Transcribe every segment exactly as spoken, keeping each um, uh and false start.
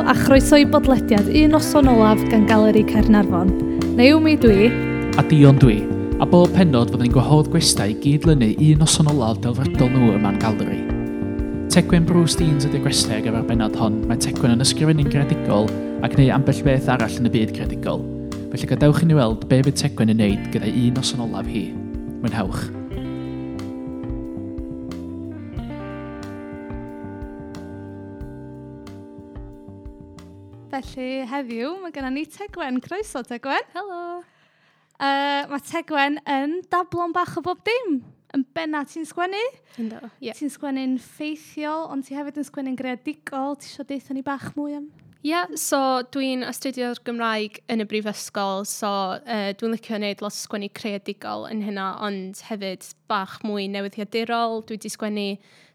a chroeso i bodlediad Un Noson Olaf gan Galeri Caernarfon. Naomi dwi. A Dion dwi. A bob pennod fyddwn ni'n gwahodd gwestai i gydlynu un noson olaf delfrydol nhw yma'n Galeri. Tegwen Bruce Deans ydy'r gwestai ar gyfer bennod hon. Mae Tegwen yn ysgrifennu'n greadigol ac neu ambell beth arall yn y byd creadigol. Felly gadewch i ni weld be fydd Tegwen yn neud gyda un noson olaf hi. Mwynhewch. Felly heddiw mae gennym ni Tegwen. Croeso Tegwen. Helo. Uh, mae Tegwen yn dablo'n bach o bob dim. Yn benna ti'n sgwennu. Ynddo, ie. Yeah. Ti'n sgwennu'n ffeithiol, ond ti hefyd yn sgwennu'n greadigol. Ti isio deutha ni bach mwy am? Ie, yeah, so dwi'n astudio'r Gymraeg yn y brifysgol, so uh, dwi'n licio wneud lot o sgwennu creadigol yn hynna, ond hefyd bach mwy newyddiadurol. Dwi wedi sgwennu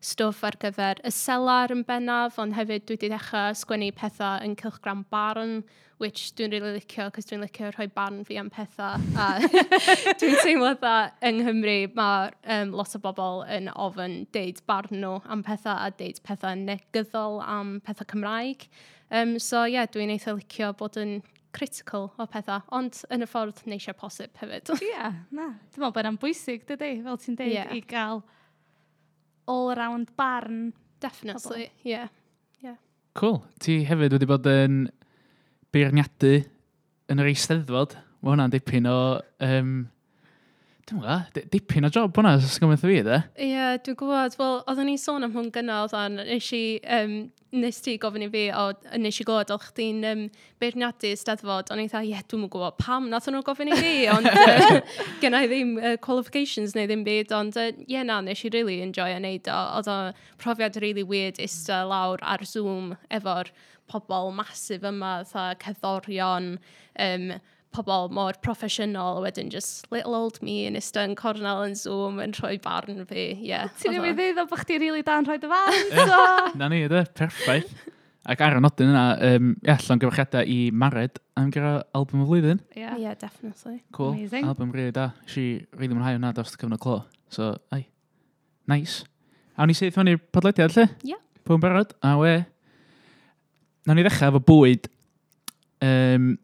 stwff ar gyfer y Selar yn bennaf, ond hefyd dwi wedi dechrau sgwennu pethau yn cylchgrawn Barn, which dwi'n really licio, cos dwi'n licio rhoi barn fi am pethau. A dwi'n teimlo dda yng Nghymru mae um, lot o bobl yn ofyn deud barn nhw am pethau a deud pethau negyddol am pethau Cymraeg. Um, so ie, yeah, dwi'n eitha licio bod yn critical o pethau, ond yn y ffordd neisiau posib hefyd. Ie, yeah, na. Dwi'n meddwl bod yna'n bwysig, dydy, fel ti'n deud, Ie. i gael all-round barn. Definitely, ie. Yeah. Yeah. Cool. Ti hefyd wedi bod yn beirniadu yn yr Eisteddfod. Mae hwnna'n dipyn o... Um, dwi'n gwybod, dipyn o job hwnna, os gwybod fi, de? Ie, yeah, dwi'n gwybod. Wel, oeddwn ni'n sôn am hwn gynna, oedden, nes i, um, nes ti gofyn i fi, o, nes i glywed, oedd chdi'n um, beirniadu Eisteddfod, o'n i'n dda, ie, dwi'm yn gwybod pam nath nhw gofyn i fi, ond uh, genna i ddim uh, qualifications neu ddim byd, ond ie, uh, yeah, na, nes i really enjoy neud o. Oedd o profiad really weird ista lawr ar Zoom efo'r pobl massive yma, fatha cerddorion, um, pobl mor proffesiynol, a wedyn just little old me yn ista yn cornel yn Zoom yn rhoi barn fi, yeah. Ti'n Oedd o- newid ddeud o bod chdi rili da'n rhoi dy farn, so... Na ni, de, perffaith. Ac ar y nodyn yna, um, ia, llongyfarchiadau i Mared am gyda album y flwyddyn. Yeah. Yeah, definitely. Cool. Amazing. Album really da. Nes i really mwynhau hwnna dros y cyfnod clo. So, ai. Nice. Awn ni syth mewn i'r podlediad, lle? Ie. Pwy yn barod? A we. Nawn ni ddechrau efo bwyd. Um,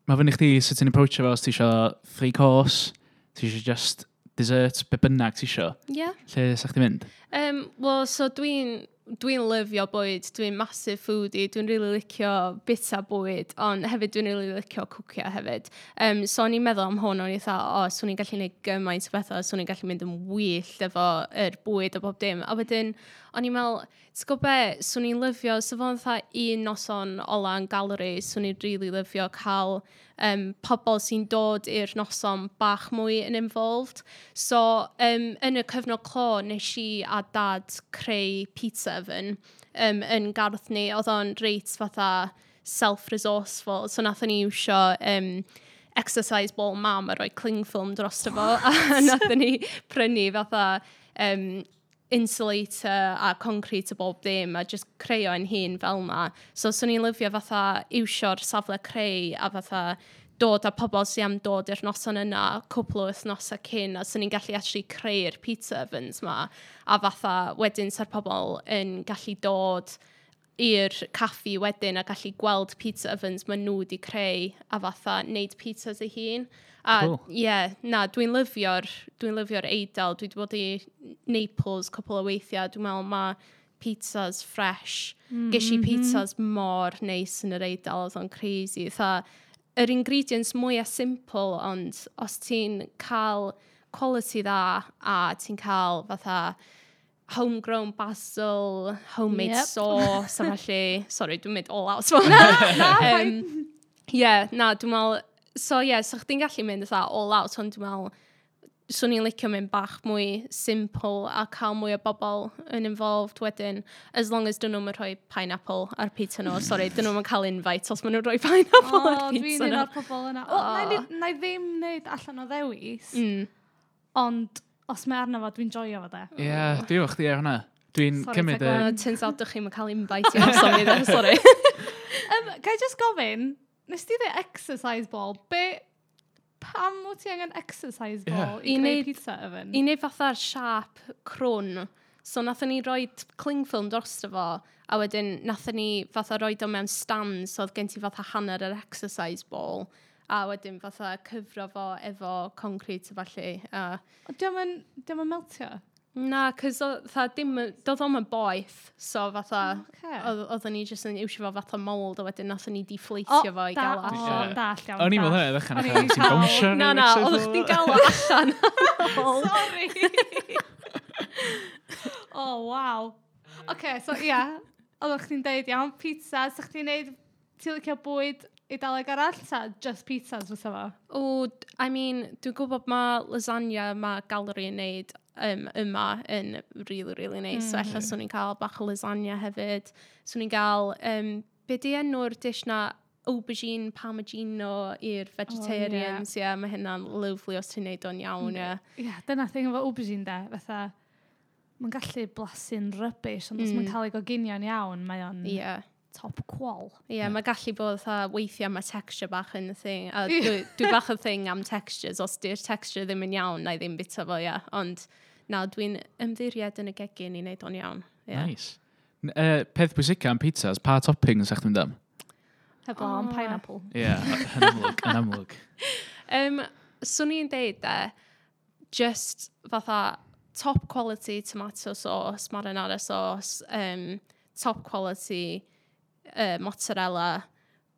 mae fyny chdi sut ti'n approachio fo os ti isio three course, ti isio just dessert, be bynnag ti isio. Yeah. Lle sa chdi mynd? Um, Wel, so dwi'n dwi'n lyfio bwyd, dwi'n massive foodie, dwi'n really licio bita bwyd, ond hefyd dwi'n really licio cwcio hefyd. Um, so o'n i'n meddwl am hwn, o'n i'n dda, o, swn i'n gallu gwneud gymaint o bethau, swn i'n gallu mynd yn wyllt efo yr bwyd a bob dim. A wedyn, o'n i'n meddwl, ti'n gwybod be, swn i'n lyfio, so fo'n fatha un noson ola yn Galeri, swn i'n really lyfio cael um, pobl sy'n dod i'r noson bach mwy yn involved. So, um, yn y cyfnod clo, nes i a dad creu pizza oven um, yn gardd ni. Oedd o'n reit fatha self-resourceful. So, nathon ni iwsio um, exercise ball mam a rhoi cling film drosto fo. A nathon ni prynu fatha um, insulator a concrete a bob dim a just creu o'n hun fel na. So, swn i'n lyfio fatha iwsio'r safle creu a fatha dod â pobl sy'n am dod i'r noson yna cwpl o wythnosau cyn a swn i'n gallu actually creu'r pizza ovens ma a fatha wedyn sa'r pobl yn gallu dod i'r caffi wedyn a gallu gweld pizza ovens maen nhw wedi creu a fatha neud pizzas eu hun. A Cool. ie, yeah, na, dwi'n lyfio'r dwi'n lyfio'r Eidal. Dwi wedi bod i Naples cwpl o weithiau. Dwi'n meddwl mae pizzas fresh. Mm -hmm. Ges i pizzas mor neis yn yr Eidal, oedd o'n crazy. Tha, yr ingredients mwyaf simple, ond os ti'n cael quality dda a ti'n cael fatha homegrown basil, homemade Yep. yep. sauce, a felly, sorry, dwi'n mynd all out. Na, na, um, yeah, na, dwi'n meddwl, so ie, yeah, so chdi'n gallu mynd fatha all out, ond dwi'n meddwl, swn i'n licio mynd bach mwy simple a cael mwy o bobl yn involved wedyn, as long as dyn nhw'n rhoi pineapple ar pizza nhw. Sorry, dyn nhw'n cael invite os maen nhw'n rhoi pineapple O, ar dwi'n pizza un nhw. o'r pobl yna. O, na i na i ddim wneud allan o ddewis, Mm. ond os mae arno fo, dwi'n joio fo de. Ie, yeah, dwi efo chdi ar hwnna. Dwi'n Sorry, cymryd y... Tegwen. Uh, turns out dych chi'n cael invite i noson fi dde, sorry. Um, Ga i just gofyn, nes ti dweud exercise ball, be, pam wyt ti angen exercise ball Ie. i I greu neud- pizza oven? I wneud fatha'r siap crwn, So nathon ni roi cling film drosto fo, a wedyn nathon ni fatha roed o mewn stand, so oedd gen ti fatha hanner yr exercise ball, a wedyn fatha cyfro fo efo concrete a falle. A Dio'm yn, dio'm yn meltio? Na, cos fatha dim, doedd o'm yn boeth, so fatha, Ocê. oedd oedden ni jyst yn iwsio fo fatha mould, a wedyn nathon ni deflatio fo i da, gael o o, allan. dall iawn. O'n i'n meddwl dall. hynna, ddechrau, O'n i'n ti'n cael- bownsio. Na, na, oedd chdi'n gael o allan. Sorry. Oh, waw. Oce, so ia, oeddech chdi'n deud, iawn, pizza, sa chdi'n neud, ti'n licio bwyd Eidaleg arall, ta just pizzas fysa fo? O, I mean, dwi'n gwybod mae lasagna mae Galeri yn neud um, yma yn really, really nice. Mm. So ella swn i'n cael bach o lasagna hefyd. Swn i'n cael, um, be di enw'r dish na aubergine parmigiano i'r vegetarians, oh, yeah. Yeah, mae hynna'n lovely os ti'n neud o'n iawn, ie. Yeah. Ia, dyna thing efo aubergine de, fatha, mae'n gallu blasu'n rubbish, ond os mm. mae'n cael ei goginio'n iawn, mae o'n Yeah. top qual. Ie, yeah, mae gallu bod fatha weithiau mae texture bach yn y thing. A dwi, dwi bach o thing am textures. Os di'r texture ddim yn iawn, na i ddim bita fo, ia. Ond na, dwi'n ymddiried yn y gegin i wneud o'n iawn. Yeah. Nice. N- Uh, peth pwysica am pizzas, pa toppings sa'ch ti'n mynd am? Heblaw am Oh. pineapple. Ie, yn amlwg, yn amlwg. Um, swn i'n deud de, just fatha top quality tomato sauce, marinara sauce, um, top quality uh, mozzarella,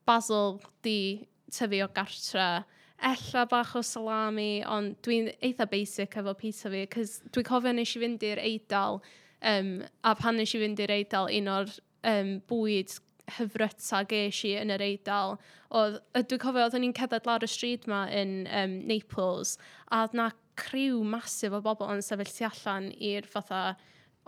basil di tyfu o gartra, ella bach o salami, ond dwi'n eitha basic efo pizza fi, cos dwi'n cofio nes i fynd i'r Eidal, um, a pan nes i fynd i'r Eidal, un o'r um, bwyd hyfryta ges i yn yr Eidal, oedd, yy, dwi'n cofio oedden ni'n cerdded lawr y stryd ma yn um, Naples, a oedd na criw massive o bobl yn sefyll tu allan i'r fatha,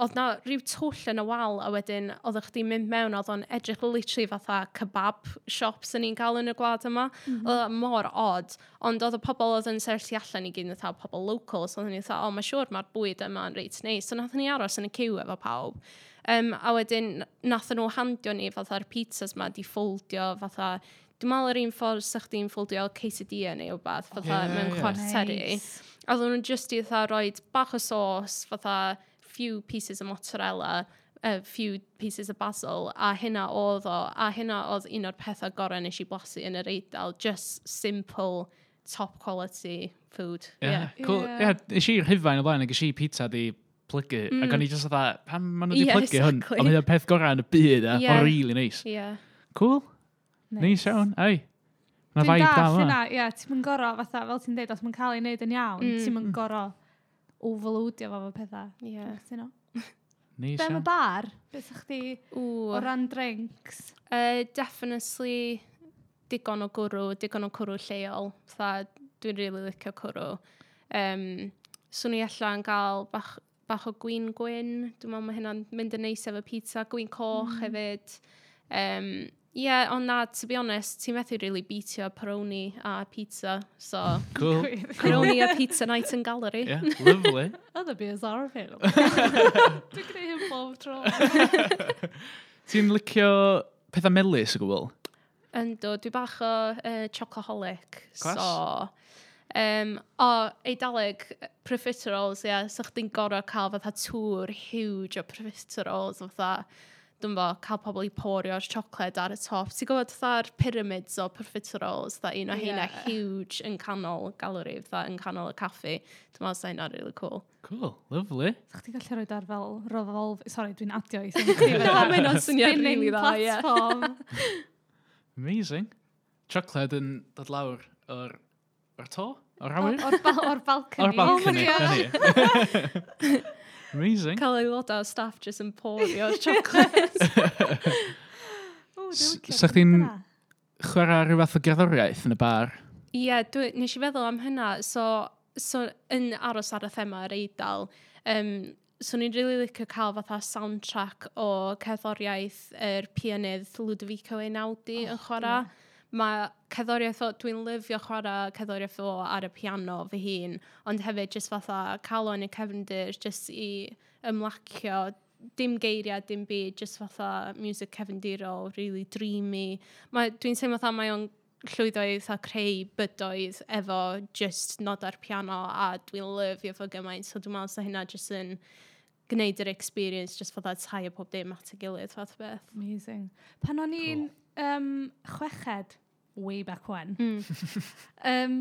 oedd na rhyw twll yn y wal, a wedyn oeddech chdi'n mynd mewn, oedd o'n edrych literally fatha kebab shops yn ni'n cael yn y gwlad yma. Mm -hmm. Oedd o mor odd, ond oedd y pobl oedd yn sefyll tu allan i gyd yn fatha pobl local, so oedden ni fatha, o, mae siŵr mae'r bwyd yma yn reit neis. So nathon ni aros yn y ciw efo pawb. Um, a wedyn nathon nhw handio ni fatha'r pizzas ma di ffoldio fatha, dwi'n meddwl yr un ffordd sa chdi'n ffoldio quesadilla neu wbath, fatha Ie, mewn ie. chwarteri. Nice. A oedden nhw just i fatha roed bach o sauce, fatha few pieces of mozzarella, a few pieces of basil, a hynna oedd o, a hynna oedd un o'r pethau gorau nes i blasu yn yr Eidal, just simple, top quality food. Ie, Yeah. cool. Ie. Ie, nes i Rhufain o blaen, ac nes i pizza di plygu, mm. ac o'n i just fatha, pam maen nhw di Ie, plygu hwn? exactly. Ond mae'n peth gorau yn y byd, e. Ie. Mae'n really nice. Yeah. Cool. Nice iawn, ei. Mae Dwi'n vibe da dall yma. hynna, ie, ti'n mynd goro, fatha, fel ti'n deud, os mae'n cael ei wneud yn iawn, mm. ti'n mynd goro overloadio fo efo pethau. Yeah. Dwi'n cytuno. Nice Be am y iawn. bar? Be sa chdi o Ww. ran drinks? Uh, definitely digon o gwrw, digon o cwrw lleol. Fatha, dwi'n really licio cwrw. Um, swn i allan gael bach, bach o gwin gwyn. Dwi'n meddwl mae hynna'n mynd yn neis efo pizza. Gwin coch mm. hefyd. Um, yeah, ond na, to be honest, ti'n methu really beatio Peroni a pizza. So, Cool. Peroni a pizza night in Galeri. Yeah, lovely. Other beers are available. Dwi'n gwneud hyn bob tro. Ti'n licio pethau melys o gwbl? Yndw, dwi bach o uh, chocoholic. Class. So, um, o, Eidaleg, profiteroles, ie, yeah, so chdi'n gorau cael fatha tŵr huge o profiteroles, fatha, dwi'n bo, cael pobl i porio'r siocled ar y top. Ti'n gwybod fatha'r pyramids o profiteroles, fatha un o heina Ie. huge yn canol Galeri, fatha yn canol y caffi. Dwi'n meddwl sa hynna'n really cool. Cool, lovely. Sa chdi gallu rhoi ar fel revolve... Sorry, dwi'n adio i thing chdi. Na, mae hynna'n syniad Spinning really dda, ie. platform. Amazing. Chocolate yn dod lawr o'r, o'r to? O'r awyr? O'r ba- o'r balcony. O'r balcony. Oh my na ni. Amazing. Cael aelodau o staff just yn porio'r chocolate. O, dwi'n S- licio sa chdi'n- hynna. Chwarae rhyw fath o gerddoriaeth yn y bar? Ie, yeah, dwi, nes i feddwl am hynna. So, so yn aros ar y thema yr Eidal, um, so ni'n really licio cael fatha soundtrack o cerddoriaeth yr pianydd Ludovico Einaudi oh, yn chwarae. Yeah. Mae cerddoriaeth o, dwi'n lyfio chwarae cerddoriaeth o ar y piano fy hun, ond hefyd just fatha cael o yn y cefndir, just i ymlacio, dim geiriau, dim byd, just fatha music cefndirol, really dreamy. Mae, dwi'n teimlo fatha mae o'n llwyddo i fatha creu bydoedd efo just nod ar piano a dwi'n lyfio fo gymaint, so dwi'n meddwl sa hynna just yn gwneud yr experience just fatha tie pob dim at y gilydd fath o beth. Amazing. Pan o'n i'n um, chweched, way back when, Mm. um,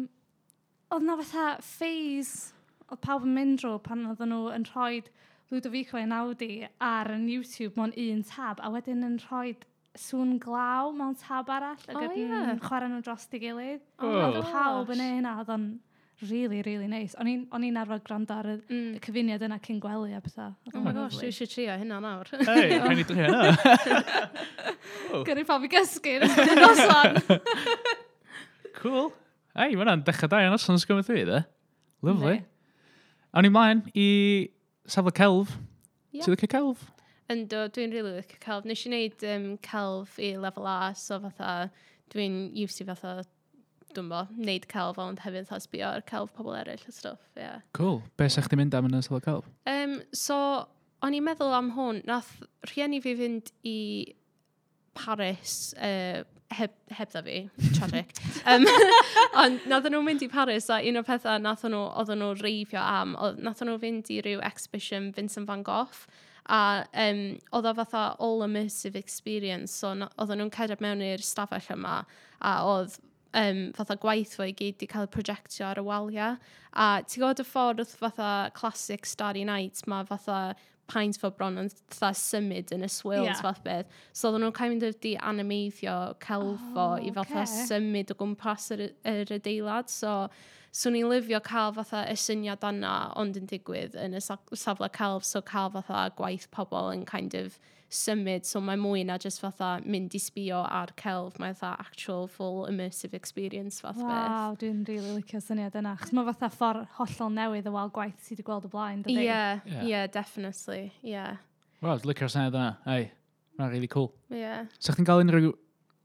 oedd na fatha phase, oedd pawb yn mynd drwy pan oedden nhw yn rhoi Ludovico Einaudi ar yn YouTube mewn un tab, a wedyn yn rhoi sŵn glaw mewn tab arall, ac O, oh, yn ie. chwarae nhw dros ei gilydd. Oh. Oedd pawb yn neud hynna, oedd o'n really, really nice. O'n i'n o'n i'n arfer gwrando ar y, Mm. y cyfuniad yna cyn gwely a pethau. Oedd Oh o'n my gosh, lovely. dwi eisiau trio hynna nawr. Hey, rhaid ni drio hynna. Cool. Gyrru pawb i gysgu yn ystod y noson. Cool. Ei, mae hwnna'n dechrau da iawn noson sgwm dwi, de. Lovely. Yndi. Awn ni mlaen i safle celf. Ie. Ti'n licio celf? Yndw, dwi'n really licio celf. Nes i wneud um, celf i lefel A, so fatha, dwi'n used i fatha, dwi'n bo, wneud celf, ond hefyd fatha sbio ar celf pobl eraill a stuff, yeah. Cool. Be sa chdi mynd am yn y safle celf? Um, so, o'n i'n meddwl am hwn, nath rhieni fi fynd i Paris, uh, heb, heb dda fi, tragic. um, ond nath nhw mynd i Paris a un o'r pethau nath nhw, oedden nhw reifio am, oedd, nath nhw fynd i ryw exhibition Vincent van Gogh a um, oedd o fatha all immersive experience, so na, oedden nhw'n cerdded mewn i'r stafell yma a oedd um, fatha gwaith fo i gyd di cael ei projectio ar y waliau. A ti'n gwybod y ffordd fatha classic Starry Night, mae fatha paint fo bron yn fatha symud yn y swirls Ie. yeah. fath beth. So oedden nhw'n kind of di animeiddio celf fo Oh, i fatha ocê. symud o gwmpas yr, yr adeilad. So, swn i'n lyfio cael fatha y syniad yna ond yn digwydd yn y sa- safle celf, so cael fatha gwaith pobl yn kind of symud, so mae mwy na just fatha mynd i sbio ar celf, mae fatha actual full immersive experience fath beth. Waw, dwi'n really licio syniad yna. Chos mae fatha ffordd hollol newydd o weld gwaith sydd wedi gweld o blaen, dydy? Yeah, Yeah. yeah, definitely, yeah, Wel, dwi'n licio'r syniad yna. Ei, mae'n really cool. yeah. So chdi'n cael unrhyw...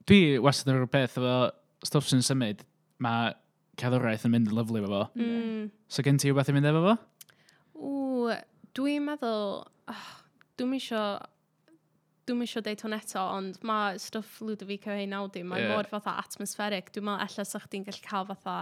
Dwi wastad yn rhyw beth efo stwff sy'n symud, mae cerddoriaeth yn mynd yn lyfli efo fo. Mm. So gen ti rhywbeth i mynd efo fo? Ww, dwi'n meddwl, oh, dwi'n isio, dwi'n isio deud hwn eto, ond mae stwff Ludovico Einaudi, mae Ie. yeah. mor fatha atmospheric. Dwi'n meddwl ella sa chdi'n gallu cael fatha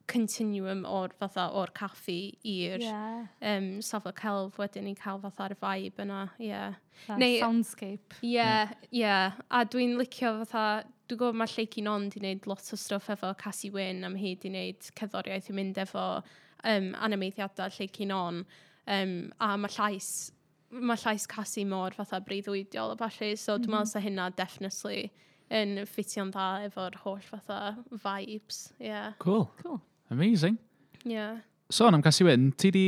continuum o'r fatha o'r caffi i'r yeah. Yeah. um, safle celf wedyn i cael fatha'r vibe yna, ie. Yeah. Fatha Neu- Soundscape. Ie, yeah, ie. Yeah. A dwi'n licio fatha, dwi'n gwybod mae Lleucu Non di wneud lot o stwff efo Cassie Wyn, a mae hi di wneud cerddoriaeth i mynd efo um, animeiddiadau Lleucu Non. Um, a mae llais, mae llais Cassie mor fatha breuddwydiol a ballu, so dwi'n meddwl sa hynna definitely yn ffitio'n dda efo'r holl fatha vibes. Yeah. Cool. Cool. Amazing. Yeah. Sôn am Cassie Wyn, ti di,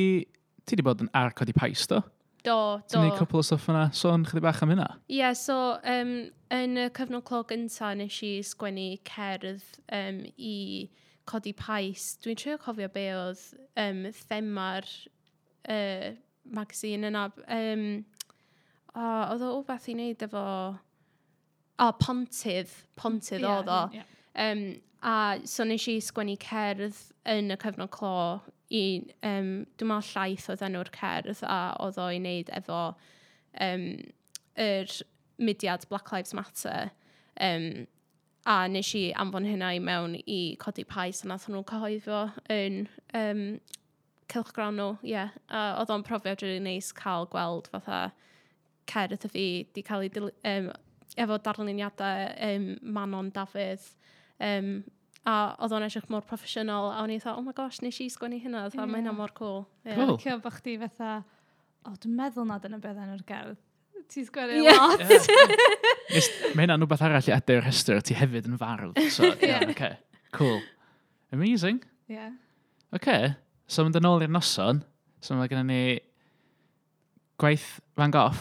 ti di bod yn ar Codi Pais, do? Do, Ti'n do. neud cwpl o stwff yna? Sôn chydig bach am hynna? Ie, yeah, so um, yn y cyfnod clo gynta nes i sgwennu cerdd um, i Codi Pais. Dwi'n trio cofio be oedd um, thema'r uh, magazine yna. Um, o, oedd o wbeth i wneud efo... O, Pontydd. Pontydd Ie, oedd o. ie. Um, a so nes i sgwennu cerdd yn y cyfnod clo i, um, dwi'n meddwl llaeth oedd enw'r cerdd a oedd o i wneud efo um, yr mudiad Black Lives Matter. Um, a nes i anfon hynna i mewn i Codi Pais a nath nhw cyhoeddi fo yn um, cylchgrawn nhw, ie. Yeah. A oedd o'n profiad really neis cael gweld fatha cerdd y fi di cael ei dil- um, efo darluniadau um, Manon Dafydd. Um, a oedd o'n edrych mor proffesiynol a o'n i fatha, oh my gosh, nes i sgwennu hynna, fatha, Ie. mae hynna mor cool. Yeah. Cool. Licio bod chdi fatha, o, dwi'n meddwl na dyna beth enw'r gerdd. Ti'n sgwennu Ie. lot. Nes, mae hynna'n rhywbeth arall i adio i'r rhestr, ti hefyd yn fardd. So, yeah, okay. Cool. Amazing. Ie. Okay. So, mynd yn ôl i'r noson. So, mae gennym ni gwaith Van Gogh.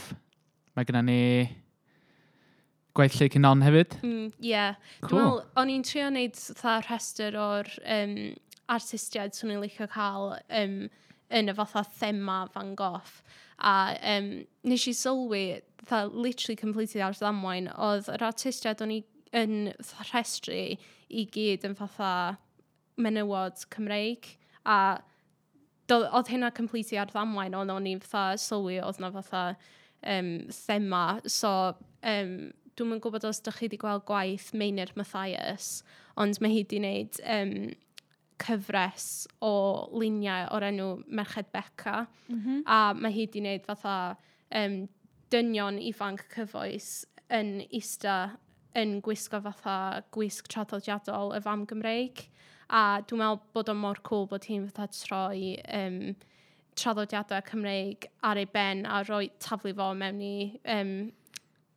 Mae gennym ni gwaith Lleucu Non hefyd. Mm, yeah. Dwi'n Cool. meddwl, o'n i'n trio wneud fatha rhestr o'r um, artistiaid swn i'n licio cael um, yn y fatha thema Van Gogh. A um, nes i sylwi, fatha literally completely ar ddamwain, oedd yr artistiaid o'n i yn fatha rhestru i gyd yn fatha menywod Cymreig. A do- oedd hynna completely ar ddamwain, ond o'n i'n fatha sylwi oedd na fatha um, thema. So, um, dwi'm yn gwybod os ydych chi wedi gweld gwaith Meinir Mathias, ond mae hi wedi wneud um, cyfres o luniau o'r enw Merched Beca. Mm -hmm. A mae hi wedi wneud fatha um, dynion ifanc cyfoes yn ista yn gwisgo fatha gwisg traddodiadol y fam Gymreig. A dwi'n meddwl bod o mor cool bod hi'n fatha troi um, traddodiadau Cymreig ar ei ben a rhoi taflu fo mewn i um,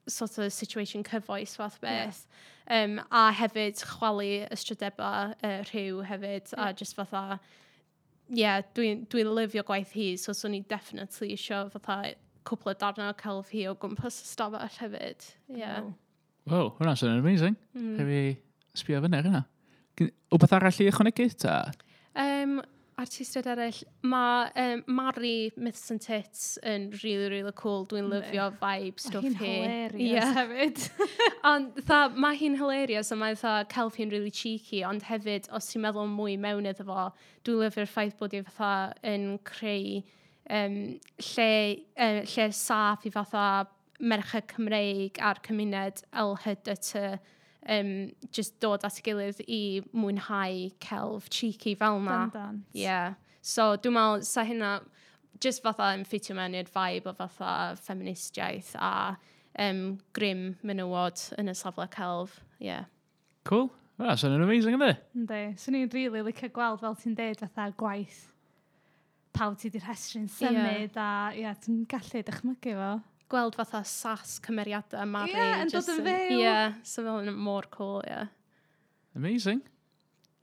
sort of situation cyfoes fath beth. Yeah. Um, a hefyd chwalu ystrydebau uh, rhyw hefyd, yeah. a just fatha, yeah, dwi'n dwi lyfio gwaith hi, so swn i definitely isio fatha cwpl o darnau o celf hi o gwmpas y stafell hefyd. Yeah. Wow, wow, hwnna'n swnio'n amazing. Mm. Rhaid fi sbio fyny ar hynna. Wbeth arall i ychwanegu ta? Um, artistiaid eraill, mae um, Mari Myths and Tits yn really, really cool. Dwi'n lyfio vibe stwff hi. Hi'n hilarious yeah. hefyd. Ond tha, mae hi'n hilarious a mae tha, celf hi'n really cheeky, ond hefyd, os ti'n meddwl mwy mewn iddo fo, dwi'n lyfio'r ffaith bod hi fatha yn creu um, lle, uh, lle saff i fatha merched Cymreig a'r cymuned L H B T um, just dod at ei gilydd i mwynhau celf cheeky fel na. Bendant. Yeah. So dwi'n meddwl, sa hynna just fatha yn ffitio mewn i'r vibe o fatha feministiaeth a um, grym menywod yn y safle celf. Yeah. Cool. Well, swnio'n amazing, ynddi? Yndi. Swn i'n really licio gweld, fel ti'n deud, fatha gwaith pawb ti di rhestru'n symud yeah. a ia, ti'n gallu dychmygu fo. Gweld fatha sass cymeriadau Mari. Ie, yn dod yn fyw. Ie, yeah, so fel yn mor cool, ie. Yeah. Amazing.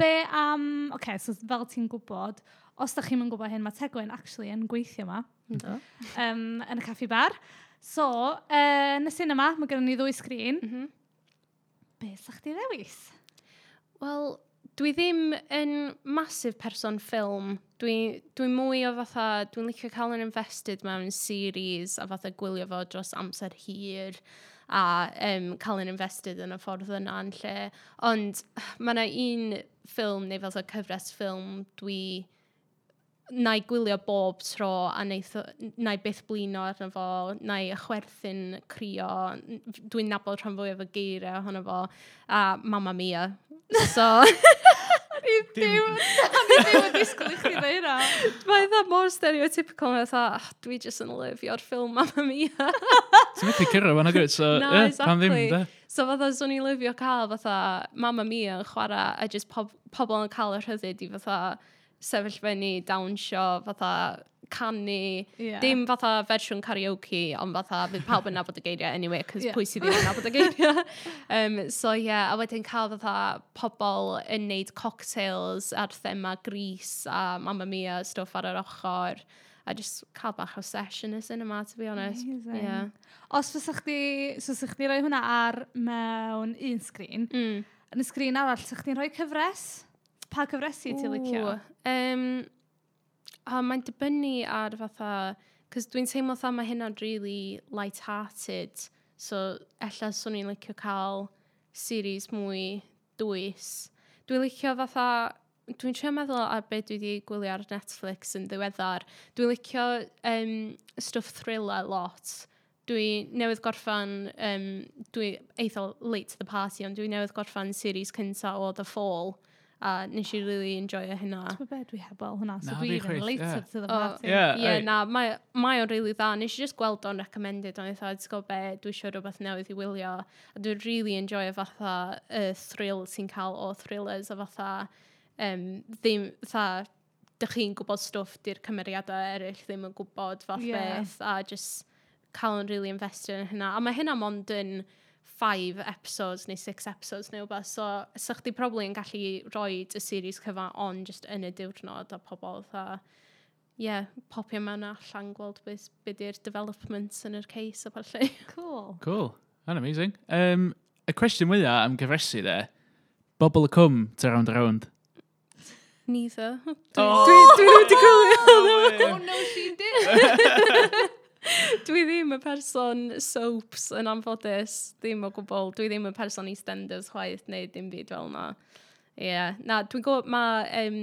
Be am... Um, Oce, okay, so fel ti'n gwybod, os da chi'n gwybod hyn, mae Tegwen actually yn gweithio yma. Ynddo. Um, yn y caffi bar. So, uh, yn y cinema, mae gennym ni ddwy sgrin. Mm -hmm. Be sa chdi ddewis? Wel, dwi ddim yn massive person ffilm. Dwi, dwi mwy o fatha, dwi'n licio cael yn invested mewn series a fatha gwylio fo dros amser hir a um, cael yn invested yn y ffordd yna yn lle. Ond mae yna un ffilm neu fatha cyfres ffilm dwi na i gwylio bob tro a neith, na i byth blino arno fo, na i chwerthin crio, dwi'n nabod rhan fwyaf o geiriau ohono fo, a Mamma Mia. So, O'n i ddim, o'n i ddim yn disgwyl i chdi ddweud hynna. Mae eitha mor stereotypical, mae eitha, oh, dwi jyst yn lyfio'r ffilm Mamma Mia. Ti'n methu cyrra fan agwyd, so, Na, yeah, pam ddim, exactly. de? So fatha, swn i'n lyfio cael fatha Mamma Mia yn chwarae a just pob, pobl yn cael y rhyddid i fatha sefyll fyny, dawnsio, fatha canu. Yeah. Dim fatha fersiwn karaoke, ond fatha fydd pawb yn nabod y geiriau anyway, cos Yeah. yeah. pwy sydd ddim yn nabod y geiriau. um, so yeah, a wedyn cael fatha pobl yn neud cocktails ar thema Grease a Mamma Mia stwff ar yr ochr. A just cael bach o sesh yn y cinema, to be honest. Amazing. Yeah. Os fysa chdi, so fysa chdi rhoi hwnna ar mewn un sgrin, Mm. yn y sgrin arall, sa chdi'n rhoi cyfres? Pa cyfresi ti'n licio? Um, o, mae'n dibynnu ar fatha... Cos dwi'n teimlo fatha mae hynna'n really light-hearted. So, ella swn i'n licio cael series mwy dwys. Dwi'n licio fatha... Dwi'n trio meddwl ar beth dwi wedi gwylio ar Netflix yn ddiweddar. Dwi'n licio um, stwff thriller lot. Dwi newydd gorffan, um, dwi eitha late to the party, ond dwi newydd gorffan series cynta o The Fall. A nes i really enjoyo hynna. Ti'n be, dwi heb weld hwnna, so Na, dwi fi even chwaith, later ie. to the O, party. Ie, Ie, ei. na, mae, mae o'n really dda. Nes i just gweld o'n recommended, ond eitha, ti'n gwybod be, dwi eisiau rhywbeth newydd i wylio. A dwi'n really enjoyo fatha y thrill ti'n cael o thrillers a fatha, um, ddim, fatha, dych chi'n gwybod stwff di'r cymeriadau eraill ddim yn gwybod fath Ie. yeah. beth, a just cael yn really invested yn hynna. A mae hynna mond yn five episodes neu six episodes neu wbeth, so sa chdi probably yn gallu rhoi y series cyfan on just yn y diwrnod a pobl fatha, yeah, popio mewn a allan gweld beth be di'r developments yn yr case a ballu. Cool. Cool. That's amazing. Um, y cwestiwn mwyaf am gyfresi de, Bobol y Cwm, ta Rownd a Rownd? Neither. Dwi, Oh! dwi, dwi ddim wedi gwylio. Oh no, she did. Dwi ddim y person soaps yn anffodus, ddim o gwbl. Dwi ddim y person EastEnders chwaith neu dim byd fel yna. Ie, yeah. Na, dwi'n gwybod mae um,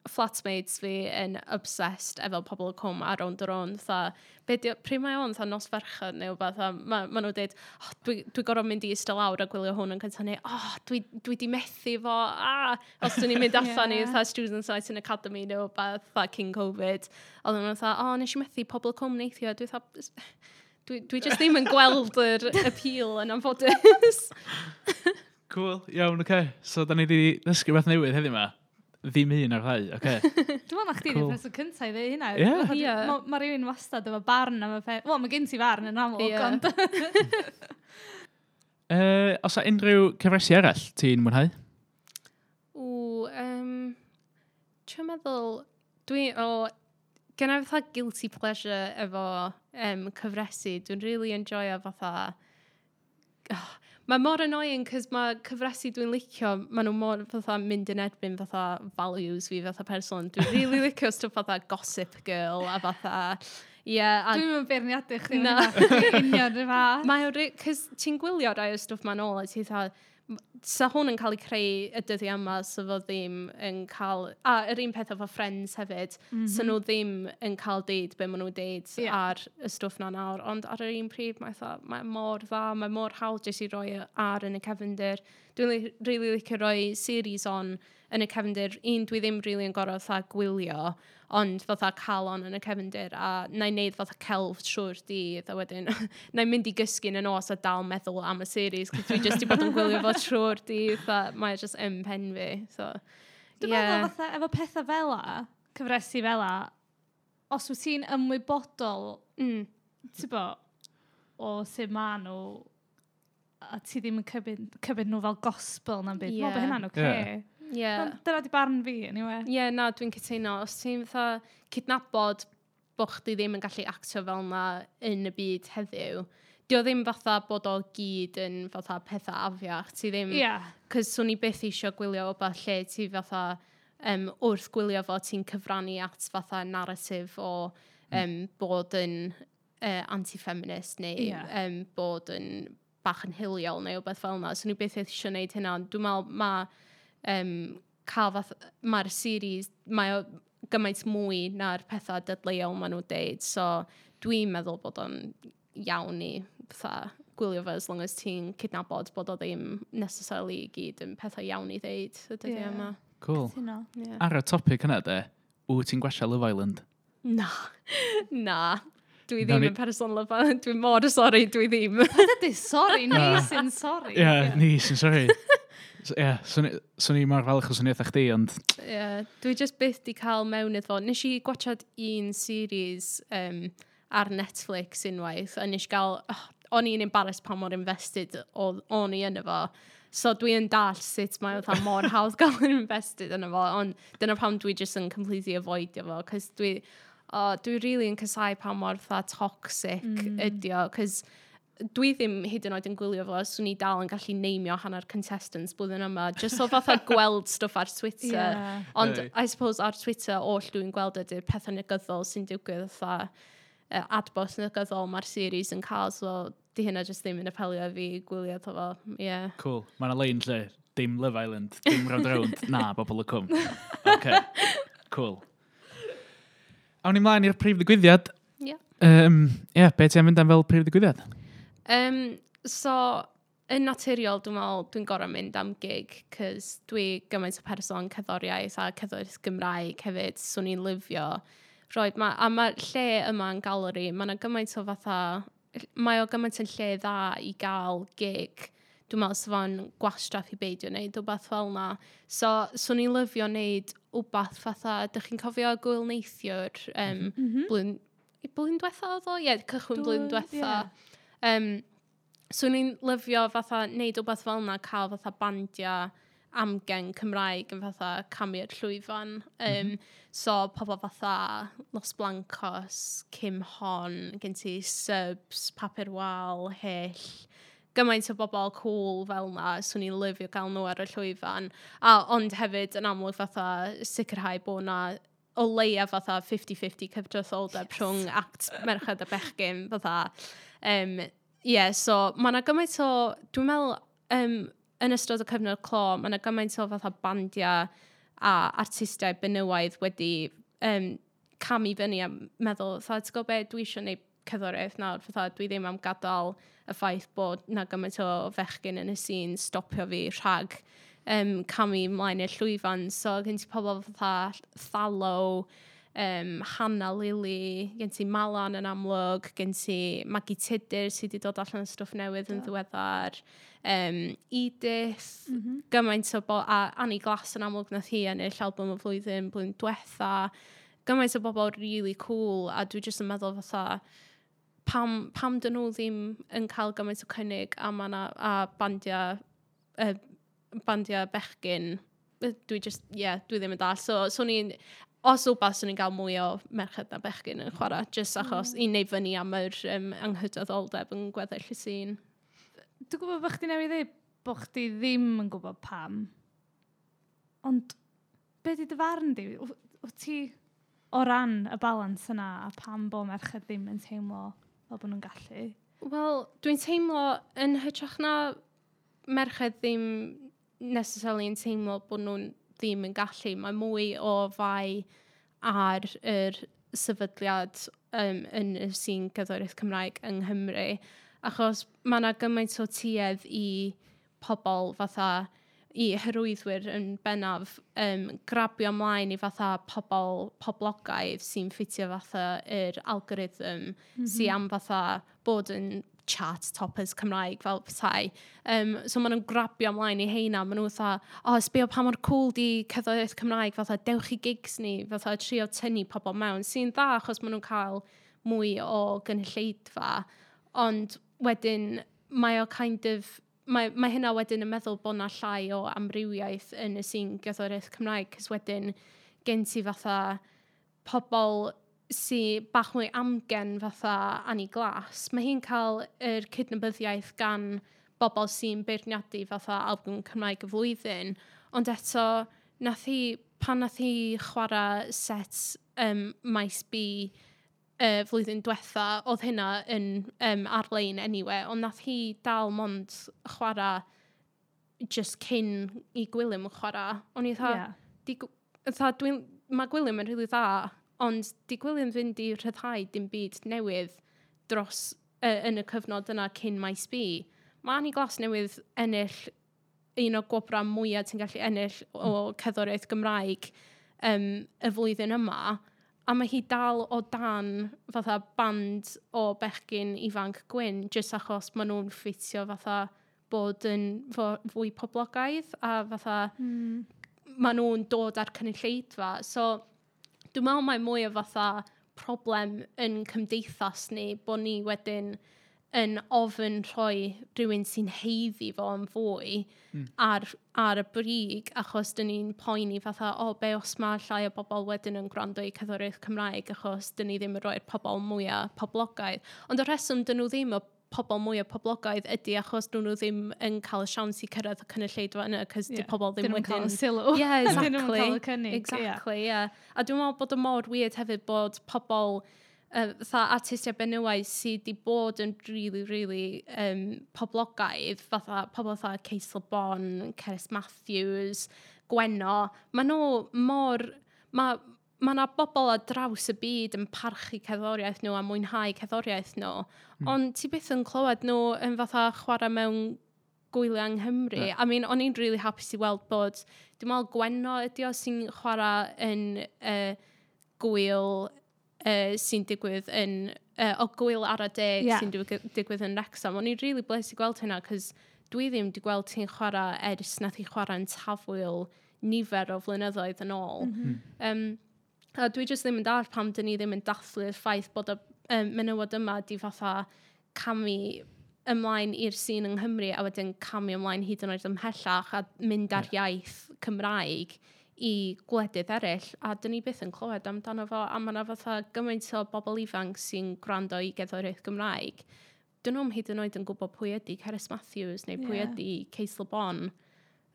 flatmates fi yn obsessed efo Pobol y Cwm a Rownd a Rownd. Fatha, be di, pryd mae o'n fatha nos Fercher neu wbath, a ma, ma nhw'n dweud, oh, dwi, dwi gorfod mynd i eistedd lawr a gwylio hwn yn cyntaf, neu, oh, dwi, dwi di methu fo, ah, os dwi'n ni'n mynd allan i Ie. fatha Students Night in Academy neu wbath, fatha cyn Covid. Oedden nhw'n fatha, oh, nes i methu Pobol y Cwm neithiwr. Dwi fatha, dwi, dwi just ddim yn gweld yr appeal yn anffodus. Cool, iawn, oce. Okay. So, da ni wedi dysgu beth newydd heddiw yma. Ddim un ar ddau, oce. Dwi'n meddwl na chdi Cool. di'r person cyntaf i ddweud hynna. Ie. Fatha, Ie. Ma, ma rhywun wastad efo barn am y peth. Wel, mae gen ti farn yn amlwg, Ie. ond... Uh, os a unrhyw cyfresi arall ti'n mwynhau? Ww, um, dwi'n meddwl, dwi, o, gen i fatha guilty pleasure efo um, cyfresu. Dwi'n really enjoyo fatha, oh, mae mor annoying, cos mae cyfresu dwi'n licio, maen nhw mor fatha mynd yn erbyn fatha values fi fatha person. Dwi'n really licio stwff fatha Gossip Girl a fatha, yeah, a Dwi'n mynd beirniadu chdi. Na. Na. Union rhyw fath. Mae o, cos ti'n gwylio rai o stwff ma'n ôl a ti fatha, sa hwn yn cael ei creu y dyddiau yma, sa fo ddim yn cael... A yr un peth efo Friends hefyd, mm -hmm. sa nhw ddim yn cael deud be maen nhw'n deud Ie. ar y stwff na nawr. Ond ar yr un pryd, mae, fatha, mae mor dda, mae mor hawdd jyst i roi ar yn y cefndir. Dwi'n li, really licio roi series on yn y cefndir. Un, dwi ddim really yn gorfod fatha gwylio, ond fatha cael on yn y cefndir, a na i wneud fatha celf trwy'r dydd, a wedyn na i mynd i gysgu yn y nos a dal meddwl am y series, cos dwi jyst i bod yn gwylio fo trwy'r dydd, a mae o just yn pen fi. So, Dwi'n yeah. meddwl fatha, efo pethau fel a, cyfresi fel a, os wyt ti'n ymwybodol, Mm. ti'n bo, o sut ma nhw, a ti ddim yn cymryd, cymryd nhw fel gospel na'n byd. Dwi'n meddwl bod Ie. hynna'n oce. Ie. Yeah. Dyna di barn fi, anyway. Ie, yeah, na, dwi'n cytuno. Os ti'n fatha cydnabod bod chdi ddim yn gallu actio fel na yn y byd heddiw, di o ddim fatha bod o gyd yn fatha pethau afiach. Ti ddim... Ie. Cos swn i byth eisiau gwylio wbath lle ti fatha um, wrth gwylio fo ti'n cyfrannu at fatha narratif o um, bod yn uh, anti-feminist neu Ie. um, bod yn bach yn hiliol neu wbeth fel yna. Swn i byth eisiau gwneud hynna. ond Dwi'n meddwl mae um, cael fath, mae'r series, mae o gymaint mwy na'r pethau dadleuol maen nhw'n deud. So dwi'n meddwl bod o'n iawn i fatha gwylio fo as long as ti'n cydnabod bod o ddim necessarily i gyd yn pethau iawn i ddeud y dyddiau Ie. yma. Cool. Cytuno. Yeah. Ar y topic yna de, wyt ti'n gwachio Love Island? Na, na. Dwi Nawn ddim ni- yn person Love Island. Dwi'n mor sorry, dwi ddim. Dydy, sorry, ni Na. sy'n sorry. Ie, yeah, ni sy'n sorry. Ie, yeah, swn i- swn i mor falch os swn i eitha chdi, ond Yeah, dwi just byth di cael mewn iddo fo. Nes i gwachad un series um, ar Netflix unwaith, a nes i gael... Oh, o'n i'n embarrassed pa mor invested o- o'n i yno fo. So dwi yn dall sut mae fatha mor hawdd gael yn invested yno fo, ond dyna pam dwi just yn completely avoidio fo, cos dwi, oh, dwi really yn casau pa mor fatha toxic mm. ydi o, cos dwi ddim hyd yn oed yn gwylio fo, swn i dal yn gallu neimio hanner contestants blwyddyn yma, just so fatha gweld stwff ar Twitter. Ie. Ond Ei. I suppose ar Twitter, oll dwi'n gweld ydy'r pethau negyddol sy'n digwydd fatha uh, adborth negyddol mae'r series yn cael, so di hynna just ddim yn apelio i fi gwylio fo. Yeah. cool. Mae yna lein lle, dim Love Island, dim Rownd a Rownd, na, bobl y cwm. OK, cool. Awn ni mlaen i'r prif ddigwyddiad. Yeah. Um, yeah, be ti am fynd am fel prif ddigwyddiad? Um, so, yn naturiol, dwi'n meddwl, dwi'n gorau mynd am gig, cos dwi gymaint o person cerddoriaeth a cerddoriaeth Gymraeg hefyd, swn i'n lyfio. Roed, ma, a mae'r lle yma yn galeri, mae yna gymaint o fatha, mae o gymaint yn lle dda i gael gig. Dwi'n meddwl sa fo'n gwastraff i beidio wneud wbath fel na. So, swn i'n lyfio wneud wbath fatha, dych chi'n cofio gwyl neithiwr, um, mm -hmm. blwyddyn, blwyddyn diwetha oedd o? Ie, yeah, cychwyn blwyddyn Dwy- diwetha. ie. Um, swn i'n lyfio fatha neud wbath fel yna, cael fatha bandiau amgen Cymraeg yn fatha camu'r llwyfan. Um, mm -hmm. So pobl fatha Los Blancos, Kim Hon, gen ti Subs, Papur Wal, Hyll, gymaint o bobl cool fel na, swn i'n lyfio gael nhw ar y llwyfan. A, ond hefyd yn amlwg fatha sicrhau bod na o leia fatha fifty fifty cydraddoldeb yes. rhwng act merched a bechgyn fatha. Um, yeah, so mae yna gymaint o, dwi'n meddwl, um, yn ystod y cyfnod clo, mae yna gymaint o fatha bandiau a artistiaid benywaidd wedi um, camu fyny a meddwl, fatha, ti'n gwybod be, dwi eisiau gwneud cerddoriaeth nawr, fatha, dwi ddim am gadael y ffaith bod na gymaint o fechgyn yn y sîn stopio fi rhag um, camu ymlaen i'r llwyfan. So gen ti pobl fatha Thallo, um, Hannah Lily, gen ti Malan yn amlwg, gen ti Maggie Tudur sydd wedi dod allan o stwff newydd yn ddiweddar, um, Edith, mm -hmm. gymaint o bo a Annie Glass yn amlwg nath hi ennill album y flwyddyn, blwyddyn diwetha, gymaint o bobl really cool, a dwi jyst yn meddwl fatha, pam, pam dyn nhw ddim yn cael gymaint o cynnig a ma' 'na, a bandiau, uh, bandiau bechgyn, dwi just, yeah, dwi ddim yn dall. So, so ni'n, os wbath, swn i'n gael mwy o merched na bechgyn yn chwarae, just achos mm. i wneud fyny am yr um, anghydraddoldeb yn gweddill y sîn. Dwi'n gwybod bod chdi newydd dweud bod chdi ddim yn gwybod pam. Ond be di dy farn di? Wyt ti o ran y balans yna a pam bo merched ddim yn teimlo fel bod nhw'n gallu? Wel, dwi'n teimlo yn hytrach na merched ddim necessarily yn teimlo bod nhw'n ddim yn gallu. Mae mwy o fai ar yr sefydliad um, yn y sîn gerddoriaeth Cymraeg yng Nghymru. Achos mae yna gymaint o tuedd i pobl fatha, i hyrwyddwyr yn bennaf, um, grabio ymlaen i fatha pobl poblogaidd sy'n ffitio fatha yr algorithm mm -hmm. sy am fatha bod yn chart toppers Cymraeg fel petai. Um, so maen nhw'n grabio ymlaen i heina. Maen nhw fatha, o, oh, sbio pa mor cool di cerddoriaeth Cymraeg, fatha, dewch i gigs ni, fatha, trio tynnu pobl mewn, sy'n dda achos maen nhw'n cael mwy o gynulleidfa. Ond wedyn, mae o kind of, mae, mae hynna wedyn yn meddwl bod na llai o amrywiaeth yn y sîn gerddoriaeth Cymraeg, cos wedyn gen ti fatha pobl sy bach mwy amgen fatha Annie Glass. Mae hi'n cael yr cydnabyddiaeth gan bobl sy'n beirniadu fatha album Cymraeg y flwyddyn, ond eto, nath hi, pan nath hi chwarae set um, Maes B uh, flwyddyn diwetha, oedd hynna yn um, ar-lein anyway, ond nath hi dal mond chwarae just cyn i Gwilym chwarae. O'n i fatha, yeah. di, fatha, dwi'n, mae Gwilym yn rili dda, ond di Gwilym fynd i rhyddhau dim byd newydd dros uh, yn y cyfnod yna cyn Maes B. Mae Annie Glass newydd ennill un o gwobrau mwyaf ti'n gallu ennill o cerddoriaeth Gymraeg um, y flwyddyn yma, a mae hi dal o dan fatha band o bechgyn ifanc gwyn, jyst achos maen nhw'n ffitio fatha bod yn fwy poblogaidd, a fatha mm. maen nhw'n dod ar cynulleidfa. So, dwi'n meddwl mae mwy o fatha problem yn cymdeithas ni, bod ni wedyn yn ofyn rhoi rhywun sy'n haeddu fo yn fwy mm. ar, ar y brig, achos dyn ni'n poeni fatha, o, be os mae llai o bobl wedyn yn gwrando i cerddoriaeth Cymraeg, achos dyn ni ddim yn rhoi'r pobl mwyaf poblogaidd. Ond y rheswm dyn nhw ddim y pobl mwyaf poblogaidd ydy achos dyn nhw ddim yn cael y siawns i cyrraedd y cynulleidfa yna, cos yeah. di pobl ddim wedyn... Dyn nhw'n cael y sylw. Yeah, exactly. Dyn nhw'n cael y cynnig. Exactly, yeah. yeah. A dwi'n meddwl bod o mor weird hefyd bod pobl uh, fatha artistiaid benywaidd sydd wedi bod yn really, really um, poblogaidd, fatha pobl fatha Case Le Bon, Cerys Matthews, Gwenno, maen nhw mor... Mae ma yna bobl ar draws y byd yn parchu cerddoriaeth nhw a mwynhau cerddoriaeth nhw, mm. ond ti byth yn clywed nhw yn fatha chwarae mewn gwyliau yng Nghymru. Yeah. I mean, o'n i'n really hapus i weld bod, dwi'n meddwl Gwenno ydi o sy'n chwarae yn uh, gwyl uh, sy'n digwydd yn, uh, o gwyl Ara Deg yeah. sy'n digwydd yn Wrexham. O'n i'n really blessed i gweld hynna, cos dwi ddim wedi gweld ti'n chwarae ers nath i chwarae yn Tafwyl nifer o flynyddoedd yn ôl. Mm -hmm. um, a dwi jyst ddim yn dallt pam dyn ni ddim yn dathlu'r ffaith bod y um, menywod yma di fatha camu ymlaen i'r sîn yng Nghymru a wedyn camu ymlaen hyd yn oed ymhellach a mynd ar yeah. iaith Cymraeg i gwledydd eraill, a dyn ni byth yn clywed amdano fo, a mae yna fatha gymaint o bobl ifanc sy'n gwrando i gerddoriaeth Gymraeg. Dyn nhw'm hyd yn oed yn gwybod pwy ydy Cerys Matthews neu pwy yeah. ydy Case Le Bon.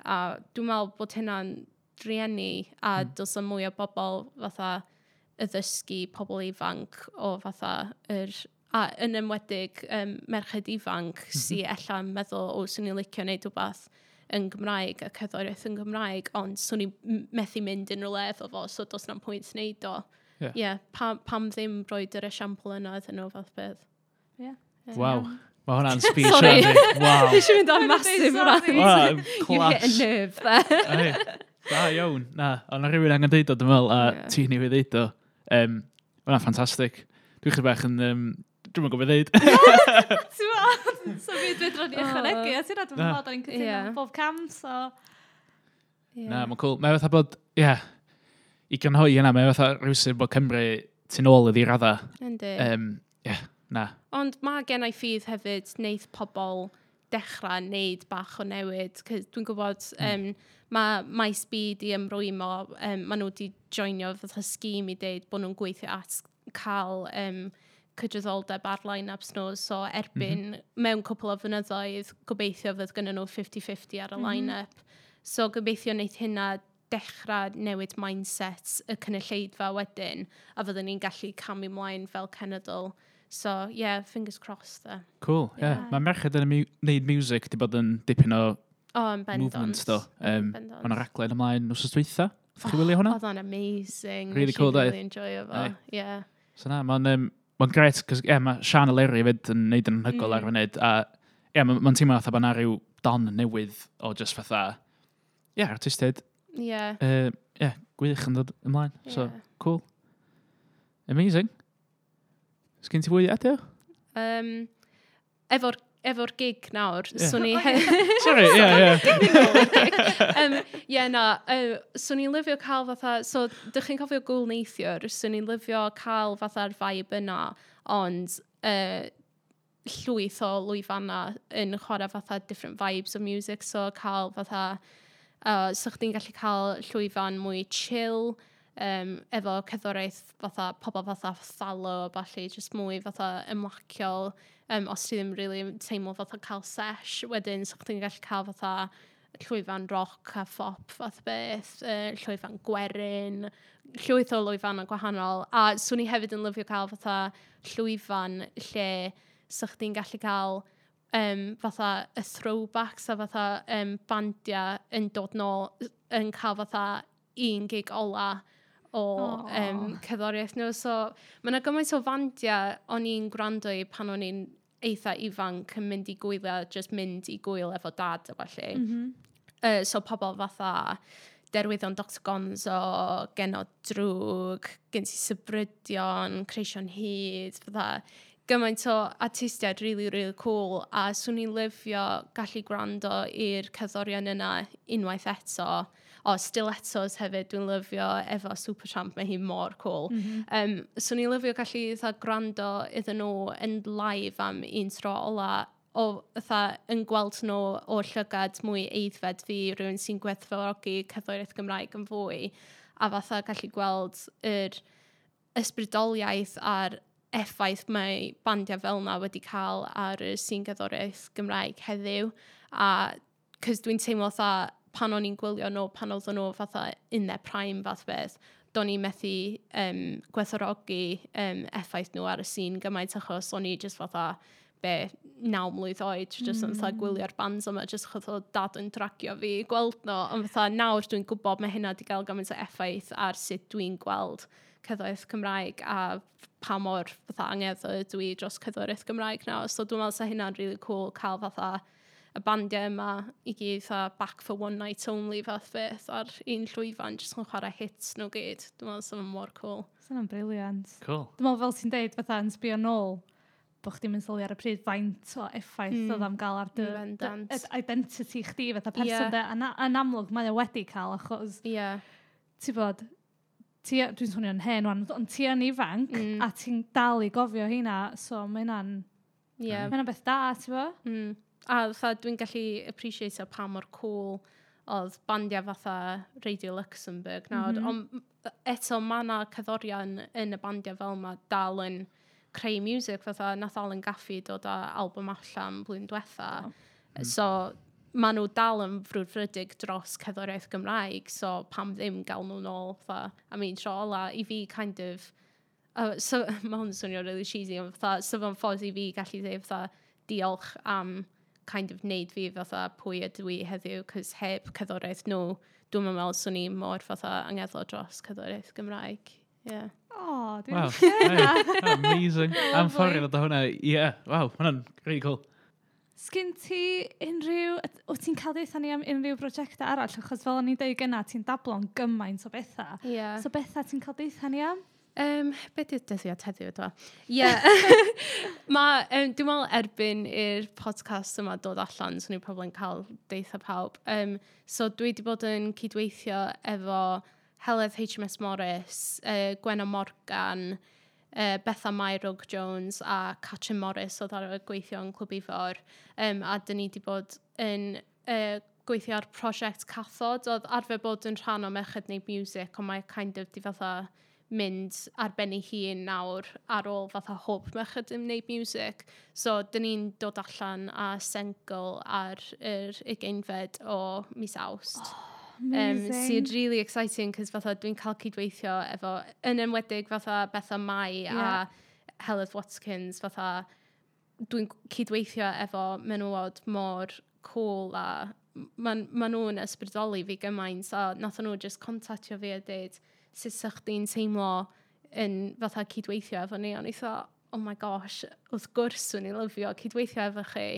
A dwi'n meddwl bod hynna'n drueni, a mm. dylsa mwy o bobl fatha addysgu pobl ifanc o fatha yr, a yn enwedig um, merched ifanc mm -hmm. sy ella'n meddwl, o, swn i'n licio wneud rhywbeth yn Gymraeg a cerddoriaeth yn Gymraeg, ond swn i methu mynd unrhyw le efo fo, so does na'm pwynt wneud o. Ie. Yeah, pam, pam ddim roed yr esiampl yna iddyn nhw fath beth. Ie. Waw. Mae hwnna'n speech. Sorry. Sorry. Waw. Fi eisiau mynd ar Mae'n massive deud rant. sorry. Waw, You hit a class. nerve there. Ai, da iawn. Na, ond na rhywun angen deud o, dwi'n meddwl, a Ie. ti newydd ddeud o. Um, Hwnna'n ffantastig. Dwi'n chydig bach yn... Um, dwi'n mynd gwybod ddeud. Ti'n meddwl? So fi dwi'n dod i ychwanegu, a ti'n dwi'n Na. meddwl, da ni'n cytuno Ie. bob cam, so... Na, mae'n cool. Mae fatha bod, ie, yeah, i grynhoi yna, mae fatha rhywsut bod Cymru tu nôl iddi radda. Yndi. Um, ie, yeah, na. Ond mae gen i ffydd hefyd wneith pobl dechrau wneud bach o newid. 'Cause dwi'n gwybod mm. um, mae Maes B di ymrwymo, um, maen nhw di joinio fatha scheme i deud bod nhw'n gweithio at cael um, cydraddoldeb ar line-ups nhw. So erbyn mm -hmm. mewn cwpl o flynyddoedd, gobeithio fydd gynnyn nhw fifty fifty ar y mm -hmm. line-up. So gobeithio wneith hynna dechrau newid mindset y cynulleidfa wedyn, a fyddwn ni'n gallu camu ymlaen fel cenedl. So, yeah, fingers crossed there. Cool, ie. Yeah. Ie. Mae merched yn mu neud music di bod yn dipyn o O, oh, yn bendant. movement, do. Um, Bendant. Mae yna raglen ymlaen wsos dwytha. Ydych chi wylio hwnna? Oedd o'n amazing. Really Nes i cool, doedd? Really enjoyo fo. Aye. Yeah. So na, mae'n um, ma gret, cos yeah, mae Sian Eleri fyd yn neud yn anhygoel mm. ar y funud, a ie, yeah, mae'n ma teimlo fatha bod 'na ryw don newydd o just fatha, ie, yeah, artistiaid, Yeah. uh, yeah, gwych yn dod ymlaen. So, Yeah. cool. Amazing. Sgyn ti fwy i adio? Um, efo'r efo'r gig nawr, Ie. yeah. Swn i... Sorry, ie, ie. um, yeah, na, uh, swn i'n lyfio cael fatha, so, dych chi'n cofio gwyl neithiwr, swn i'n lyfio cael fatha'r vibe yna, ond uh, llwyth o lwyfanna yn chwarae fatha different vibes of music, so cael fatha, uh, so chdi'n gallu cael llwyfan mwy chill, um, efo cerddoriaeth fatha pobl fatha Thallo a ballu, just mwy fatha ymlaciol, um, os ti ddim really teimlo fatha cael sesh, wedyn so chdi'n gallu cael fatha llwyfan rock a phop fath beth, uh, llwyfan gwerin, llwyth o lwyfannau gwahanol. A swn i hefyd yn lyfio cael fatha llwyfan lle sa chdi'n gallu cael um, fatha y throwbacks a fatha um, bandiau yn dod nôl yn cael fatha un gig ola o Aw. um, cerddoriaeth nhw. So mae yna gymaint o fandiau o'n i'n gwrando i pan o'n i'n eitha ifanc yn mynd i gwyliau, just mynd i gwyl efo dad a felly. Mm -hmm. Uh, so pobl fatha Derwyddon Doctor Gonzo, Genod Droog, gen ti Sibrydion, Creision Hud, fatha gymaint o artistiaid really, really cool, a swn i'n lyfio gallu gwrando i'r cerddorion yna unwaith eto. O, Stilettos hefyd, dwi'n lyfio efo Supertramp, mae hi mor cool. Mm -hmm. um, swn i'n lyfio gallu fatha gwrando iddyn nhw yn live am un tro ola, o fatha yn gweld nhw o llygad mwy aeddfed fi, rhywun sy'n gwerthfawrogi cerddoriaeth Gymraeg yn fwy, a fatha gallu gweld yr ysbrydoliaeth a'r effaith mae bandiau fel yna wedi cael ar y sîn gerddoriaeth Gymraeg heddiw. A cos dwi'n teimlo fatha pan o'n i'n gwylio nhw, pan oedden nhw fatha in their prime fath beth, do'n i methu um, gwerthfawrogi um, effaith nhw ar y sîn gymaint achos o'n i just fatha be, naw mlwydd oed, just yn fatha gwylio'r bands yma, just achos oedd dad yn dragio fi i gweld nhw. Ond fatha nawr dwi'n gwybod mae hynna wedi cael gymaint o effaith ar sut dwi'n gweld cerddoriaeth Cymraeg a pa mor fatha angerddol ydw i dros cerddoriaeth Gymraeg nawr. So dwi'n meddwl sa hynna'n really cool cael fatha y bandiau yma i gyd fatha back for one night only fath beth ar un llwyfan jyst yn chwarae hits nhw gyd. Dwi'n meddwl sa fo'n mor cool. So hwnna'n brilliant. Cool. Dwi'n meddwl fel ti'n deud, fatha yn sbio nôl, bod chdi'n mynd sylwi ar y pryd faint o effaith mm. oedd am gael ar dy, dy, Bendant. dy identity chdi fatha person Ie. de. A na, yn amlwg mae o wedi cael achos, Ie. Yeah. ti bod, ti, dwi'n swnio'n hen wan, ond ti yn ifanc Mm. a ti'n dal i gofio hynna, so mae hynna'n Ie. mae hynna'n beth da, ti bo? Mm. A fatha dwi'n gallu appreciate pa mor cool oedd bandiau fatha Radio Luxembourg nawr. Mm -hmm. Ond eto mae yna cerddorion yn y bandiau fel yma dal yn creu music fatha nath Alan Gaffey dod â album allan blwyddyn diwetha. Oh. Mm. So maen nhw dal yn frwdfrydig dros cerddoriaeth Gymraeg, so pam ddim gael nhw nôl fatha am un tro ola i fi kind of uh, so, mae hwn yn swnio really cheesy, ond fatha, so fo'n ffordd i fi gallu dweud fatha diolch am kind of neud fi fatha pwy ydw i heddiw, cos heb cerddoriaeth nhw, dwi'n meddwl swn i mor fatha angerddol dros cerddoriaeth Gymraeg. Yeah. Oh, dwi'n Wow. licio. Hey, amazing. Am ffordd i ddod o hwnna. Yeah, wow, hwnna'n really cool. Sgyn ti unrhyw... Wyt ti'n cael deutha ni am unrhyw brosiectau arall? Achos fel o'n i'n deud gynna, ti'n dablo'n gymaint o bethau. Yeah. So bethau ti'n cael deutha ni am? Um, be di'r dyddiad heddiw, dwa? Ie. Yeah. Ma, um, dwi'n meddwl erbyn i'r podcast yma dod allan, swn i'n probably yn cael deutha pawb. Um, so dwi wedi bod yn cydweithio efo Heledd H M S Morris, uh, Gwenno Morgan, uh, Betha Mairog Jones a Catrin Morris oedd ar y gweithio yn Clwb Ifor. Um, a dyn ni wedi bod yn uh, gweithio ar prosiect Cathod. Oedd arfer bod yn rhan o Merched Neud Music, ond mae kind of di fatha mynd ar ben ei hun nawr ar ôl fatha hwb Merched yn Neud Music. So, dyn ni'n dod allan a sengl ar yr ugeinfed o mis Awst. Oh, Um, amazing. sy'n really exciting, cos fatha dwi'n cael cydweithio efo, yn enwedig fatha Betha Mai Yeah. a Heledd Watkins, fatha dwi'n cydweithio efo menywod mor cool a ma, ma nhw'n ysbrydoli fi gymaint, a nath nhw just contactio fi a dweud sut sa chdi'n teimlo yn fatha cydweithio efo ni, o'n i thought, oh my gosh, wrth gwrs swn i'n lyfio cydweithio efo chi.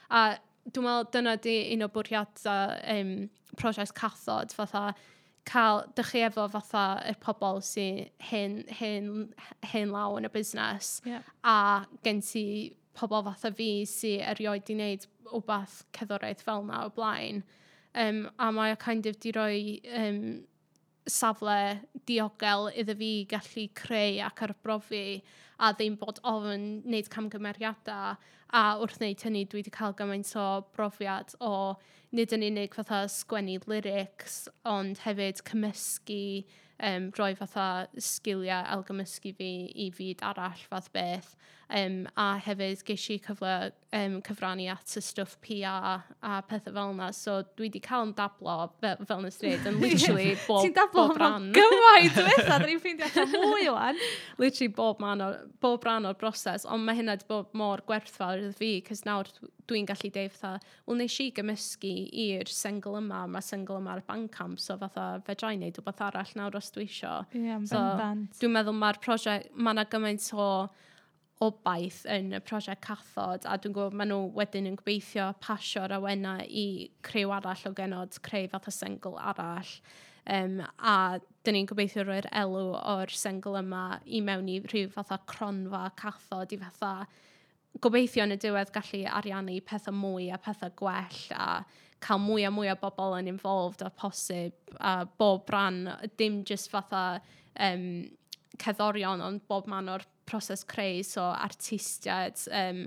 A dwi'n meddwl dyna di un o bwriadau um, prosiect Cathod, fatha cael, dych chi efo fatha y pobl sy'n hen, hen, hen law yn y busnes, Yeah. a gen ti pobl fatha fi sy'n erioed di wneud wbath cerddoriaeth fel na o blaen. Um, a mae o kind of di roi um, safle diogel iddo fi gallu creu ac arbrofi a ddim bod ofn wneud camgymeriadau, a wrth wneud hynny dwi wedi cael gymaint o brofiad o nid yn unig fatha sgwennu lyrics ond hefyd cymysgu, um, rhoi fatha sgiliau ailgymysgu fi i fyd arall fath beth, um, a hefyd ges i cyfle um, cyfrannu at y stwff P R a pethau fel yna, so dwi wedi cael yn dablo fel, fel nes dweud, yn literally bob, Ti'n dablo bob ran. gymaint o bethau, da ni'n ffeindio allan mwy wan. Literally bob, man o, bob ran o'r broses, ond mae hynna wedi bod mor gwerthfawr iddo fi, cos nawr dwi'n gallu deud fatha, wel nes i gymysgu i'r sengl yma, mae sengl yma ar Bandcamp, so fatha fedra i wneud rhywbeth arall nawr os dwi isio. Ie, yeah, So, bendant. Dwi'n meddwl mae'r prosiect, mae yna gymaint o obaith yn y prosiect Cathod, a dwi'n gwybod maen nhw wedyn yn gobeithio pasio'r awenau i criw arall o genod, creu fatha sengl arall. Um, a dyn ni'n gobeithio roi'r elw o'r sengl yma i mewn i rhyw fatha cronfa Cathod i fatha gobeithio yn y diwedd gallu ariannu pethau mwy a pethau gwell a cael mwy a mwy o bobl yn involved a posib a bob rhan, dim just fatha um, cerddorion, ond bob man o'r proses creu, so artistiaid, um,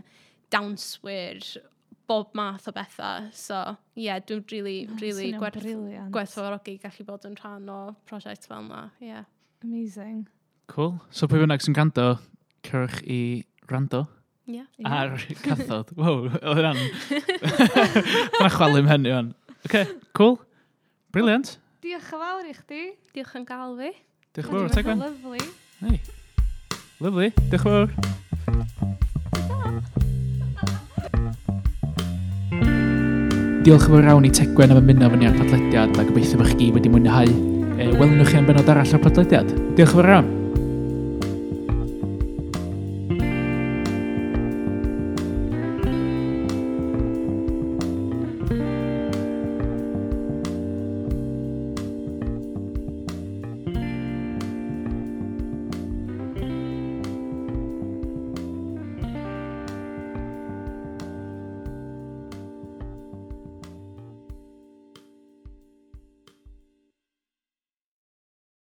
dawnswyr, bob math o bethau. So, ie, yeah, dwi'n really, Oh, really swnio'n gwerth, brilliant. gwerthfawrogi gallu bod yn rhan o prosiect fel yna. Yeah. Amazing. Cool. So pwy bynnag sy'n gwrando, cerwch i rando Yeah. Ie. ar Cathod. Wow, oedd hwnna'n... Hwnna chwalu mhen i fan. OK, cool. Brilliant. Diolch yn fawr i chdi. Diolch yn gael fi. Diolch yn fawr, Tegwen. Lovely. Hey. Lovely. Diolch yn fawr. Diolch yn fawr iawn i Tegwen am ymuno fyny ar podlediad a gobeithio bod chi gyd wedi mwynhau. E, welwn chi am benod arall o'r podlediad. Diolch yn fawr iawn.